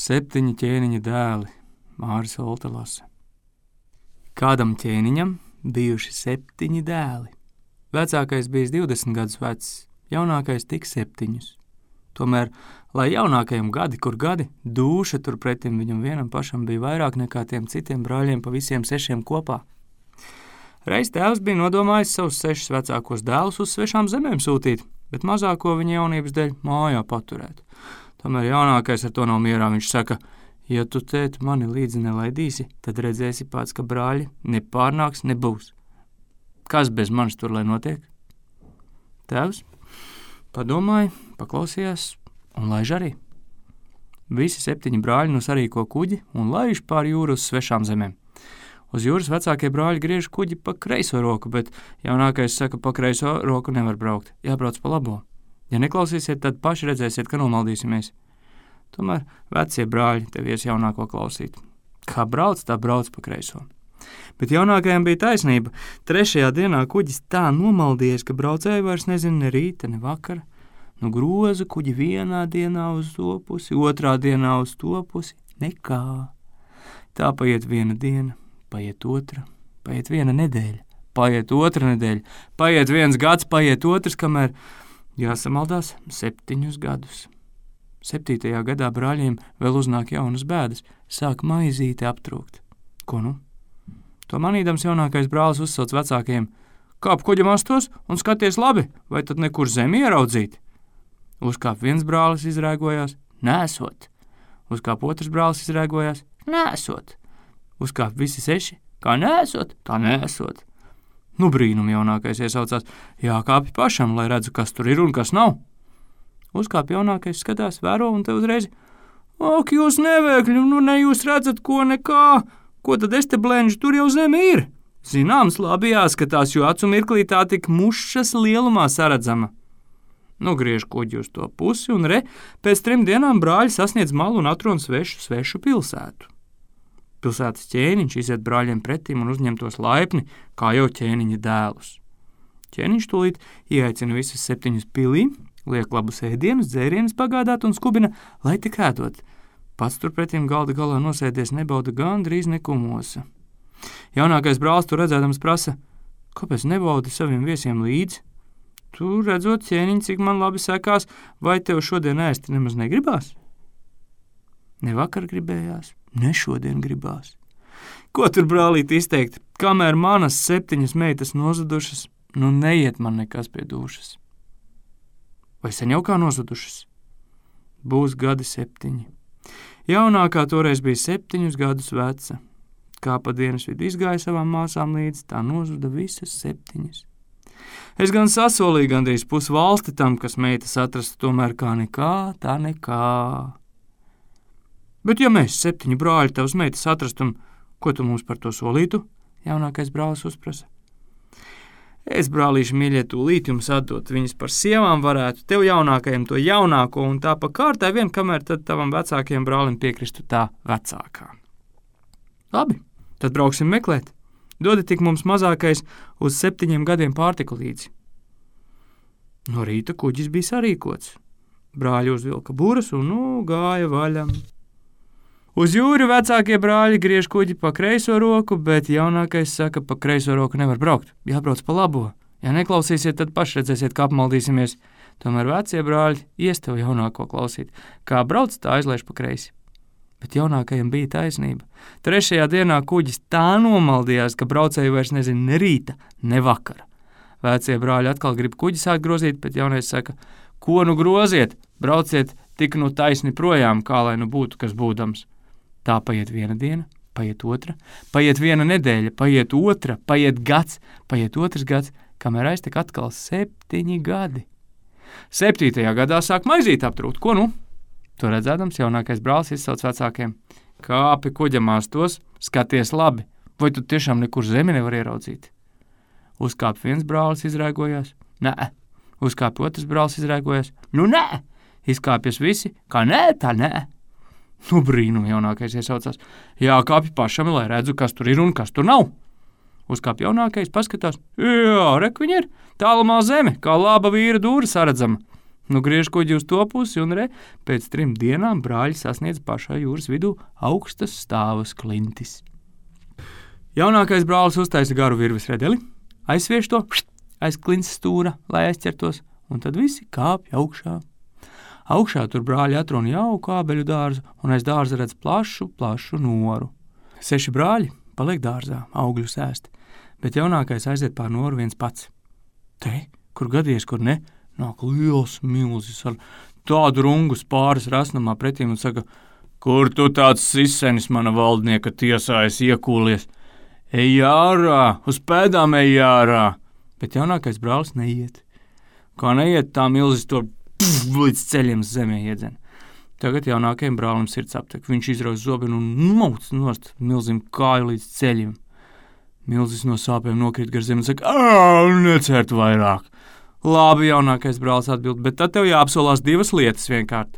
7 ķēniņa dēli, Māris Olta lasa. Kādam ķēniņam bijuši 7 dēli. Vecākais bijis 20 gadus vecs, jaunākais tik 7. Tomēr, lai jaunākajam gadi, kur gadi, dūša turpretim viņam vienam pašam bija vairāk nekā tiem citiem brāļiem pa visiem 6 kopā. Reiz tēvs bija nodomājis savus 6 vecākos dēlus uz svešām zemēm sūtīt, bet mazāko viņa jaunības dēļ mājā paturēt. Tomēr jaunākais ar to nav mierā, viņš saka, ja tu, tēt, mani līdzi nelaidīsi, tad redzēsi pats, ka brāļi nepārnāks, nebūs. Kas bez manis tur lai notiek? Tēvs padomāja, paklausījās un laiž arī. Visi 7 brāļi nu sarīko kuģi un laiž pār jūru uz svešām zemēm. Uz jūras vecākie brāļi griež kuģi pa kreiso roku, bet jaunākais saka, pa kreiso roku nevar braukt, jābrauc pa labo. Ja neklausīsiet, tad paši redzēsiet, ka nomaldīsimies. Tomēr vecie brāļi tevies jaunāko klausīt. Kā brauc, tā brauc pa kreiso. Bet jaunākajam bija taisnība. 3. dienā kuģis tā nomaldījies, ka braucēji vairs nezina ne rīta, ne vakara. Nu groza kuģi vienā dienā uz to pusi, 2. dienā uz to pusi, nekā. Tā paiet 1 diena, paiet 2, paiet 1 nedēļa, paiet 2 nedēļa, paiet 1 gads, paiet 2, kamēr jāsamaldās 7 gadus. 7. gadā brāļiem vēl uznāk jaunas bēdas, sāk maizīte aptrūkt. Ko nu? To manīdams jaunākais brālis uzsauc vecākajiem, kāp kuģa mastos un skaties labi, vai tad nekur zemi ieraudzīt? Uzkāp viens brālis izrēgojās, nesot. Uzkāp otrs brālis izrēgojās, nesot. Uzkāp visi 6, kā nesot, tā nesot. Nu brīnum jaunākais iesaucās, jākāpj pašam, lai redzu, kas tur ir un kas nav. Uzkāp jaunākais, skatās, vēro un te uzreiz, ak, jūs nevēkļi, nu ne jūs redzat ko nekā, ko tad es te blenžu, tur jau zeme ir. Zināms, labi jāskatās, jo acu mirklī tā tik mušas lielumā saredzama. Nu griež kuģi uz to pusi un pēc 3 dienām brāļi sasniedz malu un atrod svešu pilsētu. Pilsētas ķēniņš iziet brāļiem pretīm un uzņem tos laipni, kā jau ķēniņa dēlus. Ķēniņš tūlīt ieaicina visus 7 pilī, liek labus ēdienus, dzērienus pagādāt un skubina, lai tik ēdot. Pats turpretim galda galā nosēdies nebauda gandrīz nekumosa. Jaunākais brālis tur redzēdams prasa, kāpēc nebaudi saviem viesiem līdzi? Tu redzot, ķēniņ, cik man labi sekās, vai tev šodien ēst nemaz negribās? Ne vakar gribējās, ne šodien gribās. Ko tur brālīt izteikt, kamēr manas 7 meitas nozudušas, nu neiet man nekas pie dūšas. Vai sen jau kā nozudušas? Būs gadi 7. Jaunākā toreiz bija 7 gadus veca. Kā pa dienas vidu izgāja savām māsām līdzi, tā nozuda visas 7. Es gan sasolīju gandrīz pusi valsti tam, kas meitas atrastu, tomēr kā nekā, tā nekā. Bet ja mēs 7 brāļi tavas meitas atrastum, ko tu mums par to solītu? Jaunākais brālis uzprasa. Es, brālīši mīļie, tūlīt jums atdot, viņas par sievām varētu, tev jaunākajam to jaunāko un tā pa kārtai vien, kamēr tad tavam vecākajam brālim piekristu tā vecākā. Labi, tad brauksim meklēt. Dodi tik mums mazākais uz 7 gadiem pārtiku līdzi. No rīta kuģis bija sarīkots. Brāļi uzvilka buras un gāja vaļam. Uz jūru vecākie brāļi griež kuģi pa kreiso roku, bet jaunākais saka, pa kreiso roku nevar braukt, jābrauc pa labo. Ja neklausīsiet, tad paši redzēsiet, kā apmaldīsimies. Tomēr vecie brāļi ies tev jaunāko klausīt. Kā brauc, tā aizlaiž pa kreisi. Bet jaunākajam bija taisnība. 3. dienā kuģis tā nomaldījās, ka braucēji vairs nezina ne rīta, ne vakara. Vecie brāļi atkal grib kuģi sākt grozīt, bet jaunais saka, ko nu groziet, brauciet tik nu taisni projām, kā lai nu būtu, kas būdams. Tā paiet 1 diena, paiet 2, paiet 1 nedēļa, paiet 2, paiet gads, paiet 2 gads, kamēr aiztek atkal 7 gadi. 7. gadā sāk maizīt aptrūkt, ko nu? To redzēdams, jaunākais brālis izsauc vecākiem. Kāpi kuģa mastos, skaties labi, vai tu tiešām nekur zemi nevar ieraudzīt? Uzkāp viens brālis izrēgojās, nē. Uzkāp otrs brālis izrēgojās, nu nē. Izkāpjas visi, kā nē, tā nē. Nu brīnum jaunākais iesaucās, jākāpj pašam, lai redzu, kas tur ir un kas tur nav. Uzkāp jaunākais, paskatās, jā, rek viņa ir, tālumā zeme, kā laba vīra dūra saredzama. Nu griež kuģi uz to pusi un pēc 3 dienām brāļi sasniedz pašā jūras vidū augstas stāvas klintis. Jaunākais brālis uztaisa garu virves redeli, aizsviež to aiz klints stūra, lai aizķertos, un tad visi kāpj augšā. Augšā tur brāļi atrun jauku ābeļu dārzu, un aiz dārza redz plašu noru. 6 brāļi paliek dārzā, augļus ēst, bet jaunākais aiziet pār noru viens pats. Te, kur gadies, kur ne, nāk liels milzis ar tādu rungu spāras rasnamā pretīm un saka, kur tu tāds sisenis mana valdnieka tiesā esi iekūlies? Ej ārā, uz pēdām ej ārā! Bet jaunākais brālis neiet. Kā neiet, tā milzis to līdz ceļiem zemē iedzen. Tagad jaunākajam brālim sirds aptek. Viņš izrauj zobenu un mauc nost milzim kāju līdz ceļiem. Milzis no sāpēm nokrīt gar zemi un saka, necert vairāk. Labi, jaunākais brālis atbild, bet tad tev jāapsolās 2 lietas vienkārt.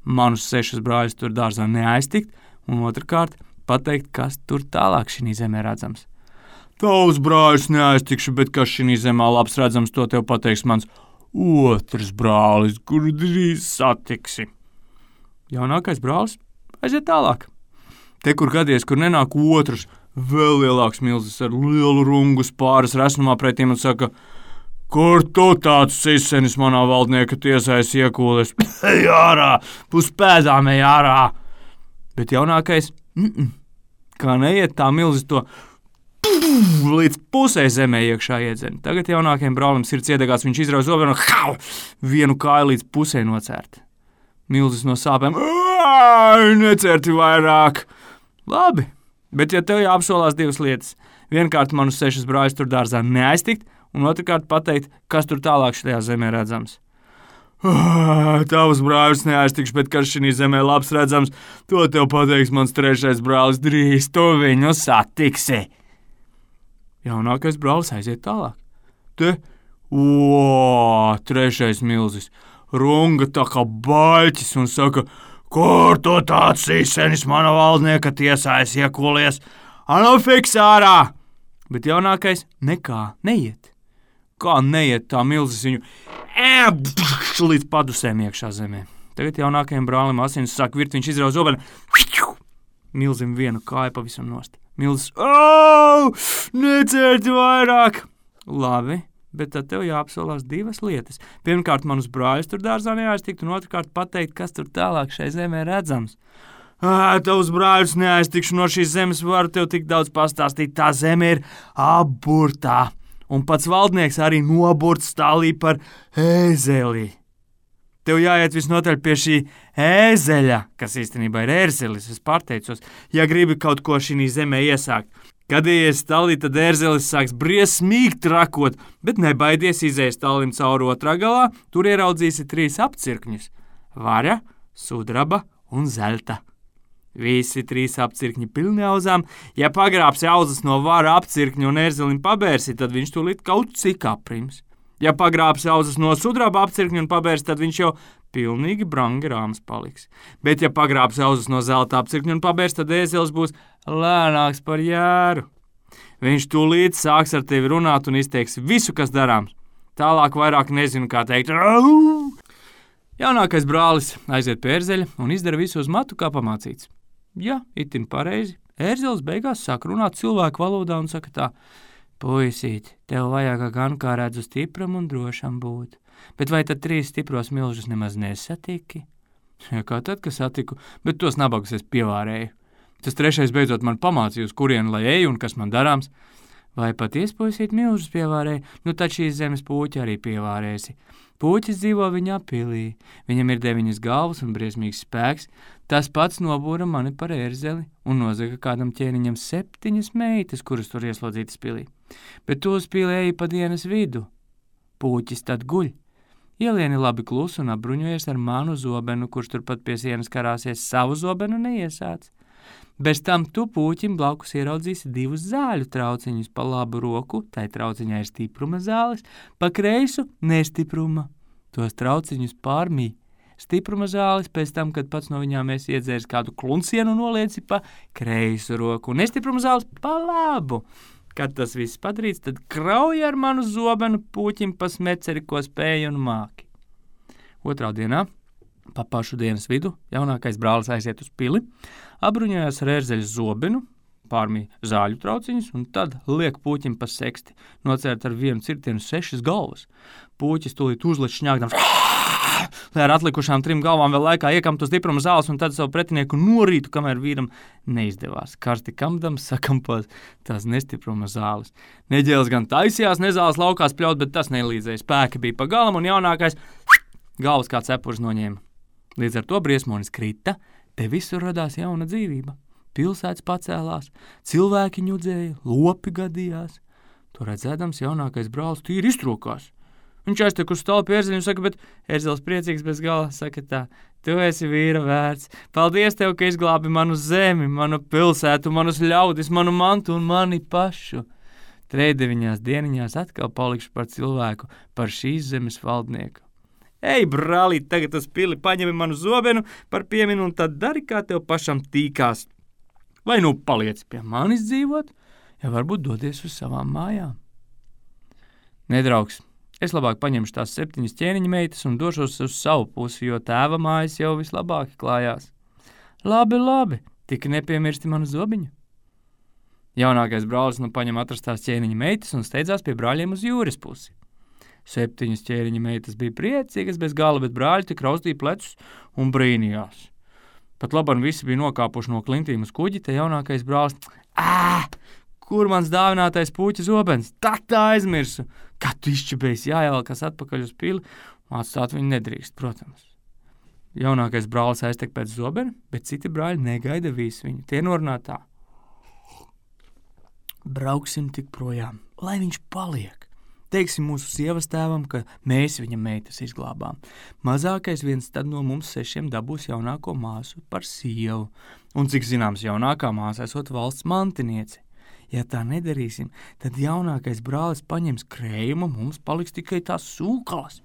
Manus 6 brāļus tur dārzā neaiztikt, un otrkārt pateikt, kas tur tālāk šī zemē redzams. Tavs brāļus neaiztikšu, bet kas šī zemē labs redzams, to tev pateiks mans otrs brālis, kuru drīz satiksi. Jaunākais brālis aiziet tālāk. Te, kur gadies, kur nenāk otrs, vēl lielāks milzis ar lielu rungu spāras resnumā pretīm un saka, kur tu tāds sisenis manā valdnieka tiesā esi iekūlies? Ej ārā, pus pēdām ej ārā! Bet jaunākais, kā neiet, tā milzis to līdz pusē zemē iekšā iedzen. Tagad jaunākajam brālim sirds iedegās, viņš izrauj zobenu un vienu kāju līdz pusē nocērt. Milzis no sāpēm, necerti vairāk. Labi, bet ja tev jāapsolās 2 lietas, vienkārt manus 6 brāļus tur dārzā neaiztikt, un otrkārt pateikt, kas tur tālāk šajā zemē redzams. Tavus brāļus neaiztikšu, bet kas šī zemē labs redzams, to tev pateiks mans 3. brālis, drīz tu viņu satiksi. Jaunākais brālis aiziet tālāk. Te, 3. milzis, runga tā kā baļķis un saka, kur tu tāds sisenis mana valdnieka tiesā esi iekūlies? Anu fiks ārā! Bet jaunākais nekā neiet. Kā neiet, tā milzis viņu līdz padusēm iekšā zemē. Tagad jaunākajam brālim asins sāk virt, viņš izrauj zobenu, milzim vienu kāju pavisam nost. Milzis, necerti vairāk! Labi, bet tad tev jāapsolās 2 lietas. Pirmkārt, manus brāļus tur dārzā neaiztikt, un otrkārt pateikt, kas tur tālāk šai zemē redzams. Tavus brāļus neaiztikšu, no šīs zemes varu tev tik daudz pastāstīt, tā zeme ir apburtā. Un pats valdnieks arī noburts stālī par ēzeli. Tev jāiet visnotaļ pie šī ēzeļa, kas īstenībā ir ērzelis, es pārteicos, ja gribi kaut ko šī zemē iesākt. Kad ies stālī, tad ērzelis sāks briesmīgi trakot, bet nebaidies izēst stālim cauri otrā galā, tur ieraudzīsi 3 apcirkņus – vaļa, sudraba un zelta. Visi 3 apcirkņi pilni auzām. Ja pagrābsi auzas no vara apcirkņa un ērzelim pabērsi, tad viņš tūlīt kaut cik aprims. Ja pagrābsi auzas no sudraba apcirkņa un pabērsi, tad viņš jau pilnīgi brangi rāms paliks. Bet ja pagrābsi auzas no zelta apcirkņa un pabērsi, tad ēzelis būs lēnāks par jēru. Viņš tūlīt sāks ar tevi runāt un izteiks visu, kas darāms. Tālāk vairāk nezinu, kā teikt. Jaunākais brālis aiziet pie ērzeļa un izdara visu uz matu, kā pamācīts. Ja, itin pareizi. Ērzelis beigās sāk runāt cilvēku valodā un saka tā, puisīt, tev vajag gan kā redzu stipram un drošam būt. Bet vai tad 3 stipros milžus nemaz nesatiki? Ja, kā tad, ka satiku, bet tos nabagus es pievārēju. Tas 3. beidzot man pamācīja, uz kurienu lai eju un kas man darāms. Vai patiesi puisīt milžus pievārēju? Nu tad šīs zemes puķi arī pievārēsi. Puķis dzīvo viņa pilī, viņam ir 9 galvas un briesmīgs spēks, tas pats nobūra mani par ērzeli un nozaga kādam ķēniņam 7 meitas, kuras tur ieslodzītas pilī. Bet tu uz pili eji pa dienas vidu. Puķis tad guļ. Ielieni labi klusu un apbruņojies ar manu zobenu, kurš turpat pie sienas karāsies, savu zobenu neiesāc. Bez tam tu puķim blakus ieraudzīsi 2 zāļu trauciņus, pa labu roku, tai trauciņā ir stipruma zāles, pa kreisu nestipruma. Tos trauciņus pārmī. Stipruma zāles pēc tam, kad pats no viņām esi iedzēris kādu kluncienu un nolieci pa kreisu roku, un nestipruma zāles pa labu. Kad tas viss padarīts, tad krauj ar manu zobenu puķim pa smeceri, ko spēj un māki. Otrā dienā, pa pašu dienas vidu, jaunākais brālis aiziet uz pili, apbruņojās ar ērzeļa zobenu, pārmīja zāļu trauciņus un tad liek puķim pa seksti, nocērt ar vienu cirtienu 6 galvas. Puķis tūlīt uzliek šņāgdams, lai ar atlikušām 3 galvām vēl laikā iekamtu stipruma zāles un tad savu pretinieku norītu, kamēr vīram neizdevās. Karsti kamdams sakampot tās nestipruma zāles. Neģēlis gan taisījās nezāles laukās pļaut, bet tas nelīdzēja. Spēki bija pa galam un jaunākais galvas kā cepurs noņēma. Līdz ar to briesmonis krita, te visur radās jauna dzīvība. Pilsētas pacēlās, cilvēki ņudzēja, lopi gadījās. To redzēdams jaunākais brālis tīri iztrokās. Viņš aiztek uz stālu pie ērzeļa un saka, bet ērzels priecīgs bez gala, saka tā, tu esi vīra vērts. Paldies tev, ka izglābi manu zemi, manu pilsētu, manus ļaudis, manu mantu un mani pašu. 3 dieniņās atkal palikšu par cilvēku, par šīs zemes valdnieku. Ej, brālī, tagad uz pili paņemi manu zobenu par pieminu un tad dari, kā tev pašam tīkās. Vai nu paliec pie manis dzīvot, ja varbūt dodies uz savām mājām. Nedraugs, es labāk paņemšu tās 7 ķēniņa meitas un došos uz savu pusi, jo tēva mājas jau vislabāk klājās. Labi, tik nepiemirsti manu zobiņu. Jaunākais brālis nu paņem atrastās ķēniņa meitas un steidzās pie brāļiem uz jūras pusi. 7 ķēniņa meitas bija priecīgas bez gala, bet brāļi tik raustīja plecus un brīnījās. Pat labam visi bija nokāpuši no klintīm uz kuģi, te jaunākais brālis, kur mans dāvinātais puķa zobens? Tā aizmirsu. Kad tu izčibējis jāievelkas atpakaļ uz pili, atstāt viņu nedrīkst, protams. Jaunākais brālis aiztek pēc zobena, bet citi brāļi negaida visu viņu. Tie norunā tā. Brauksim tik projām, lai viņš paliek. Teiksim mūsu sievas tēvam, ka mēs viņa meitas izglābām. Mazākais viens tad no mums 6 dabūs jaunāko māsu par sievu. Un cik zināms, jaunākā māsa esot valsts mantiniece. Ja tā nedarīsim, tad jaunākais brālis paņems krējumu, mums paliks tikai tās sūkalas.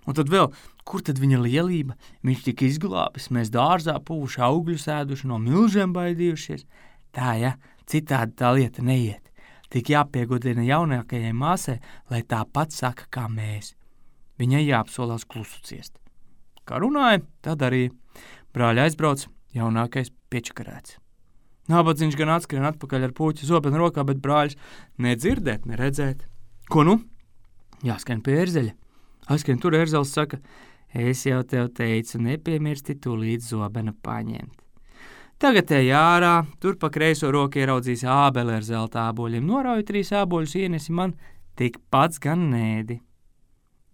Un tad vēl, kur tad viņa lielība? Viņš tika izglābis, mēs dārzā puvuši augļus ēduši, no milžiem baidījušies. Tā, ja, citādi tā lieta neiet. Tik jāpiegodina jaunākajai māsai, lai tā pat saka, kā mēs. Viņai jāapsolās klusu ciest. Kā runāja, tā darīja. Brāļi aizbrauc, jaunākais piečakarēts. Nabadzīgs gan atskrien atpakaļ ar puķu zobenu rokā, bet brāļus nedzirdēt, neredzēt. Ko nu? Jāskrien pie ērzeļa. Aizskrien tur ērzels saka, es jau tev teicu, nepiemirsti tūlīt zobenu paņemt. Tagad ej ārā, tur pa kreiso roku ieraudzīs ābeli ar zelta āboļiem. Norauj 3 āboļus, ienesi man, tik pats gan nēdi.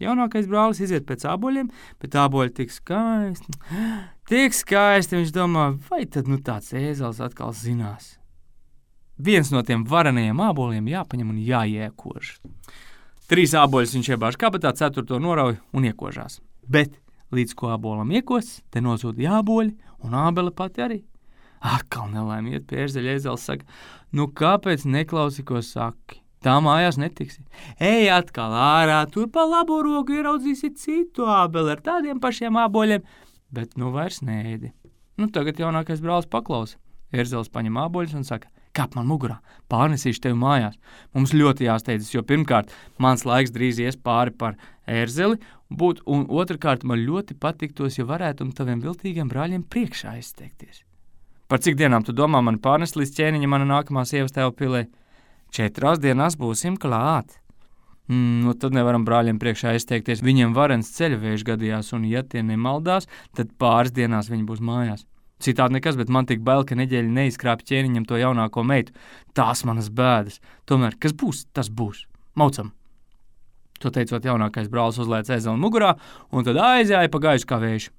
Jaunākais brālis iziet pēc āboļiem, bet āboļi tik skaisti. Tik skaisti, viņš domā, vai tad nu tāds ēzels atkal zinās. Viens no tiem varenajiem āboliem jāpaņem un jāiekož. 3 āboļus viņš iebāž kabatā, 4. norauj un iekožās. Bet līdz ko ābolam iekos, te nozūd āboļi un ābele pati arī. Atkal nelaime iet pie ērzeļa, ēzels saka, nu kāpēc neklausi, ko saki? Tā mājās netiksi. Ej atkal ārā, tur pa labo roku ieraudzīsi citu ābeli ar tādiem pašiem āboļiem, bet nu vairs neēdi. Nu tagad jaunākais brālis paklausa. Ērzels paņem āboļus un saka, kāp man mugurā, pārnesīšu tevi mājās. Mums ļoti jāsteidzas, jo pirmkārt, mans laiks drīz ies pāri par ērzeli, un otrkārt man ļoti patiktos, ja varētu taviem viltīgiem brāļiem priekšā izteikties. Par cik dienām tu domā mani pārnest līdz ķēniņa mana nākamā sievas tēva pilē? 4 dienās būsim klāt. Nu tad nevaram brāļiem priekšā izteikties, viņiem varens ceļavējš gadījās, un ja tie nemaldās, tad pāris dienās viņi būs mājās. Citādi nekas, bet man tik bail, ka neģeļi neizkrāp ķēniņam to jaunāko meitu. Tās manas bēdas. Tomēr, kas būs, tas būs. Maucam. To teicot, jaunākais brālis uzlēc ēzeli mugurā, un tad aizjāja pa gaisu kā vējš.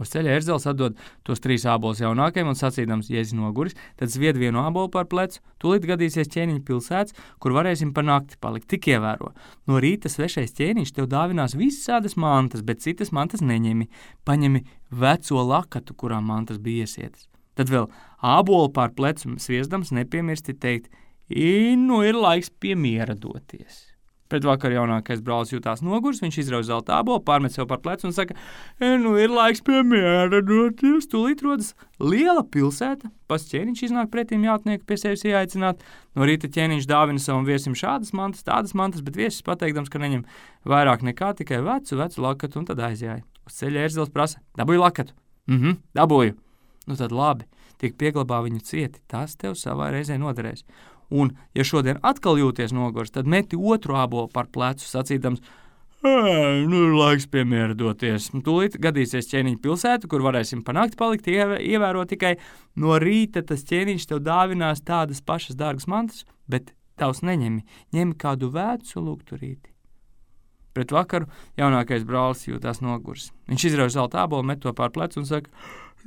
Uz ceļa ērzels atdod tos 3 ābolus jaunākajam un sacīdams, ja esi noguris, tad zvied vienu ābolu par plecu, tūlīt gadīsies ķēniņa pilsēts, kur varēsim par nakti palikt. Tik ievēro. No rīta svešais ķēniņš tev dāvinās visādas mantas, bet citas mantas neņemi. Paņemi veco lakatu, kurā mantas bija iesietas. Tad vēl ābolu pār plecu sviesdams nepiemirsti teikt, nu ir laiks pie miera doties. Pēc vakar jaunākais brālis jutās nogurs, viņš izrauj zelta ābolu, pārmet sev par plecu un saka, nu ir laiks pie miera doties. Tūlīt rodas liela pilsēta, pats ķēniņš iznāk pretīm jātnieku pie sevis ieaicināt. No rīta ķēniņš dāvina savam viesim šādas mantas, tādas mantas, bet viesis pateikdams, ka neņem vairāk nekā tikai vecu lakatu un tad aizjāja. Uz ceļa ērzelis prasa: dabūju lakatu? Dabūju. Nu tad labi, tik pieglabā viņu cieti, tas tev savā reizē noderēs. Un, ja šodien atkal jūties nogurs, tad meti otru ābolu par plecu sacīdams: nu ir laiks pie miera doties. Tūlīt gadīsies ķēniņa pilsēta, kur varēsim pa nakti palikt, ievērot tikai no rīta tas ķēniņš tev dāvinās tādas pašas dārgas mantas, bet tavs neņemi, ņemi kādu vecu lukturīti. Pret vakaru jaunākais brālis jūtās nogurs. Viņš izrauj zelta ābolu, met to pār plecu un saka: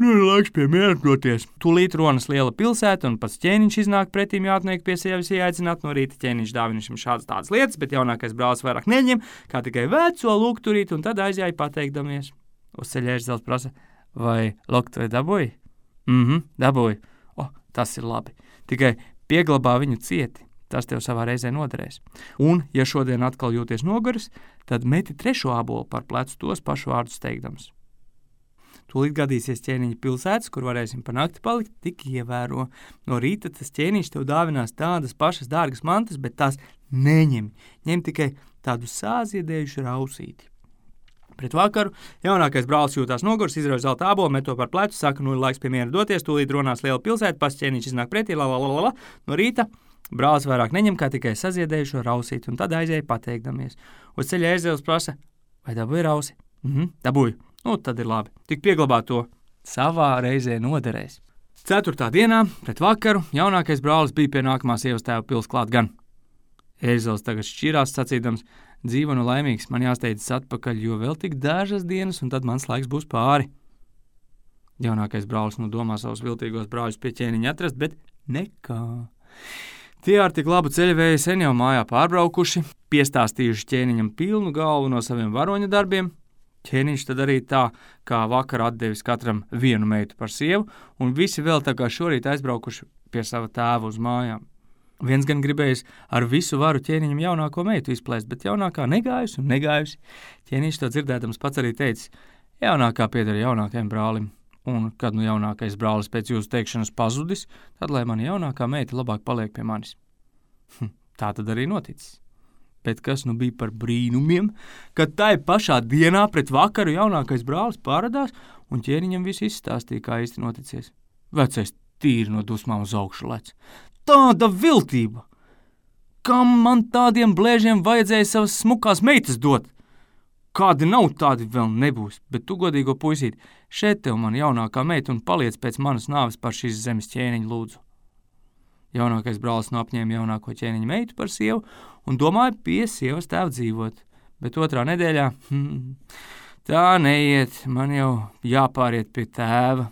nu ir laiks pie miera doties. Tūlīt ronas liela pilsēta, un pats ķēniņš iznāk pretīm jātnieku pie sevis ieaicināt. No rīta ķēniņš dāvina viņam šādas tādas lietas, bet jaunākais brālis vairāk neņem, kā tikai veco lukturīti, un tad aizjāja pateikdamies. Uz ceļa ērzelis prasa: vai lukturi dabūji? Dabūju. Tas ir labi. Tikai pieglabā viņu cieti. Tas tev savā reizē noderēs. Un, ja šodien atkal jūties noguris, tad meti trešo ābolu par plecu tos pašu vārdus teikdams. Tūlīt gadīsies ķēniņa pilsētas, kur varēsim pa nakti palikt, tik ievēro. No rīta tas ķēniņš tev dāvinās tādas pašas dārgas mantas, bet tās neņem. Ņem tikai tādu sāziedējušu rausīti. Pret vakaru jaunākais brālis jūtās nogurs, izrauj zelta ābolu, met to par plecu, saka: nu ir laiks pie miera doties, tūlīt runās liela pilsēta, pats ķēniņš iznāk pretī, No rīta brālis vairāk neņem, kā tikai saziedējušo rausīti, un tad aizēja pateikdamies. Uz ceļa ērzelis prasa: vai dabūji rausi? Dabūju. Nu, tad ir labi. Tik pieglabā to. Savā reizē noderēs. 4. dienā, pret vakaru, jaunākais brālis bija pie nākamā sievas tēva pils klāt gan. Ērzelis tagad šķirās sacīdams: dzīvo nu laimīgs, man jāsteidzas atpakaļ, jo vēl tik dažas dienas, un tad mans laiks būs pāri. Jaunākais brālis nu domā savus viltīgos brāļus pie ķēniņa atrast, bet nekā. Tie ar tik labu ceļavēju sen jau mājā pārbraukuši, piestāstījuši ķēniņam pilnu galvu no saviem varoņa darbiem. Ķēniņš tad arī tā, kā vakar atdevis katram vienu meitu par sievu, un visi vēl tā kā šorīt aizbraukuši pie sava tēva uz mājām. Viens gan gribējis ar visu varu ķēniņam jaunāko meitu izplēst, bet jaunākā negājusi un negājusi. Ķēniņš to dzirdēdams pats arī teica: jaunākā pieder jaunākajam brālim. Un, kad nu jaunākais brālis pēc jūsu teikšanas pazudis, tad lai mana jaunākā meita labāk paliek pie manis. Tā tad arī noticis. Bet kas nu bija par brīnumiem, kad tai pašā dienā pret vakaru jaunākais brālis pārādās un ķēniņam visu izstāstīja, kā īsti noticies. Vecais tīri no dusmām uz augšu lec. Tāda viltība! Kam man tādiem blēžiem vajadzēja savas smukās meitas dot? Kādi nav, tādi vēl nebūs, bet tu, godīgo puisīti, šeit tev man jaunākā meita un paliec pēc manas nāves par šīs zemes ķēniņu lūdzu. Jaunākais brālis apņēma jaunāko ķēniņu meitu par sievu un domāja pie sievas tēva dzīvot, bet otrā nedēļā, tā neiet, man jau jāpāriet pie tēva.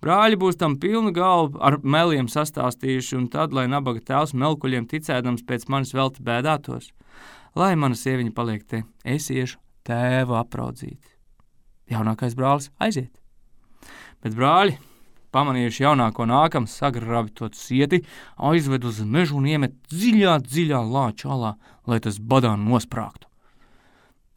Brāļi būs tam pilnu galvu ar meliem sastāstījuši, un tad, lai nabaga tēvs melkuļiem ticēdams pēc manis velti bēdātos, lai mana sieviņa paliek te, es iešu tēvu apraudzīt. Jaunākais brālis aiziet. Bet brāļi, pamanījuši jaunāko nākam, sagrabi to cieti, aizved uz mežu un iemet dziļā lāču alā, lai tas badā nosprāgtu.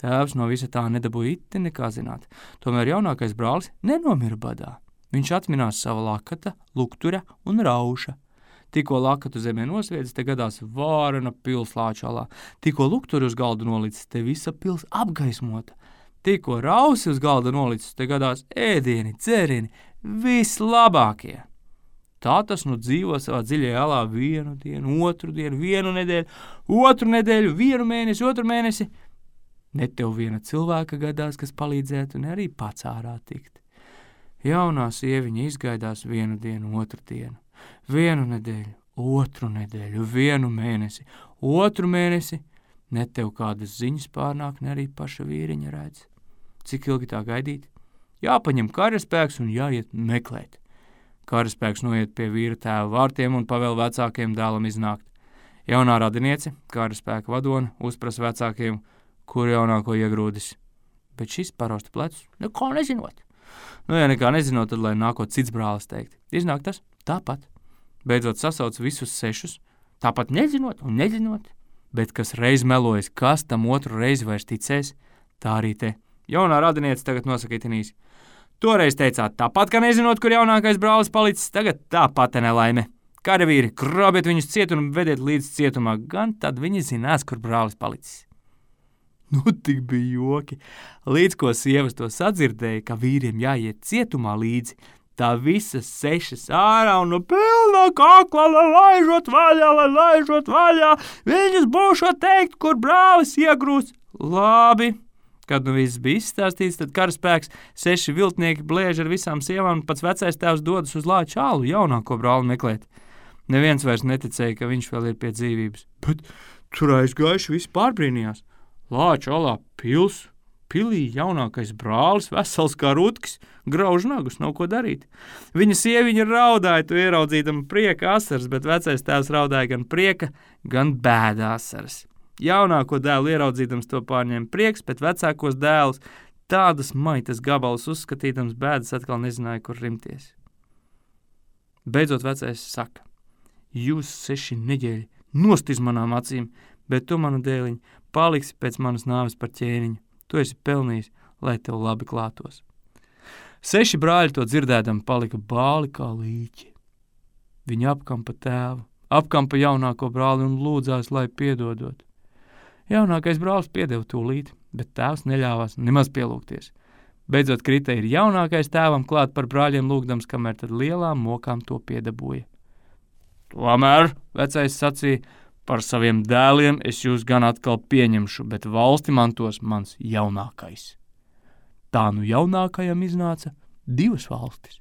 Tēvs no visa tā nedabūja iti nekā zināt, tomēr jaunākais brālis nenomira badā. Viņš atminās sava lakata, luktura un rauša. Tikko lakatu zemē nosviedz, te gadās vārena pils lāču alā. Tikko lukturi uz galda nolicis, te visa pils apgaismota. Tikko rausi uz galda nolicis, te gadās ēdieni, dzērieni, vislabākie. Tā tas nu dzīvo savā dziļajā alā vienu dienu, otru dienu, vienu nedēļu, otru nedēļu, vienu mēnesi, otru mēnesi. Ne tev viena cilvēka gadās, kas palīdzētu, un arī pats ārā tikt. Jaunā sieviņa izgaidās vienu dienu, otru dienu. Vienu nedēļu, otru nedēļu, vienu mēnesi, otru mēnesi, ne tev kādas ziņas pārnāk, ne arī paša vīriņa redz. Cik ilgi tā gaidīt? Jāpaņem karaspēks un jāiet meklēt. Karaspēks noiet pie vīra tēva vārtiem un pavēl vecākiem dēlam iznākt. Jaunā radiniece, karaspēka vadone, uzprasa vecākiem, kur jaunāko iegrūdis. Bet šis parausta plecus, nekā nezinot. Ja nekā nezinot, tad lai nākot cits brālis teikt. Iznāk tas tāpat. Beidzot sasauc visus 6, tāpat nezinot un nezinot. Bet kas reiz melojas, kas tam otru reizi vairs ticēs, tā arī te. Jaunā radiniece tagad nosaka itinīs. Toreiz teicāt tāpat, ka nezinot, kur jaunākais brālis palicis, tagad tāpat nelaime. Karavīri, krabiet viņus ciet un vediet līdz cietumā, gan tad viņi zinās, kur brālis palicis. Nu, tik bija joki. Līdz ko sievas to sadzirdēja, ka vīriem jāiet cietumā līdzi, tā visas 6 ārā un no pilna kakla, lai laižot vaļā, viņas būšot teikt, kur brālis iegrūst. Labi. Kad nu viss bija izstāstīts, tad karaspēks 6 viltnieki blēž ar visām sievām, un pats vecais tēvs dodas uz Lāča alu jaunāko brāli meklēt. Neviens vairs neticēja, ka viņš vēl ir pie dzīvības. Bet tur aizgājuši visi pārbrīnījās. Lāča alā pilī jaunākais brālis, vesels kā rutkis, grauž nagus, nav ko darīt. Viņa sieviņa raudāja, tu ieraudzīdama prieka asaras, bet vecais tēvs raudāja gan prieka, gan bēda asaras. Jaunāko dēlu ieraudzīdams to pārņēma prieks, bet vecākos dēlus tādas maitas gabalus uzskatīdams bēdas atkal nezināja, kur rimties. Beidzot vecais saka: jūs 6 neģēļi nost iz manām acīm, bet tu, manu dēliņu, paliksi pēc manas nāves par ķēniņu. Tu esi pelnījis, lai tev labi klātos. 6 brāļi to dzirdēdami palika bāli kā līķi. Viņi apkampa tēvu, apkampa jaunāko brāli un lūdzās, lai piedodot. Jaunākais brālis piedeva tūlīt, bet tēvs neļāvās nemaz pielūgties. Beidzot krita ir jaunākais tēvam klāt par brāļiem lūgdams, kamēr tad lielām mokām to piedabūja. Tomēr, vecais sacīja, par saviem dēliem es jūs gan atkal pieņemšu, bet valsti mantos mans jaunākais. Tā nu jaunākajam iznāca 2 valstis.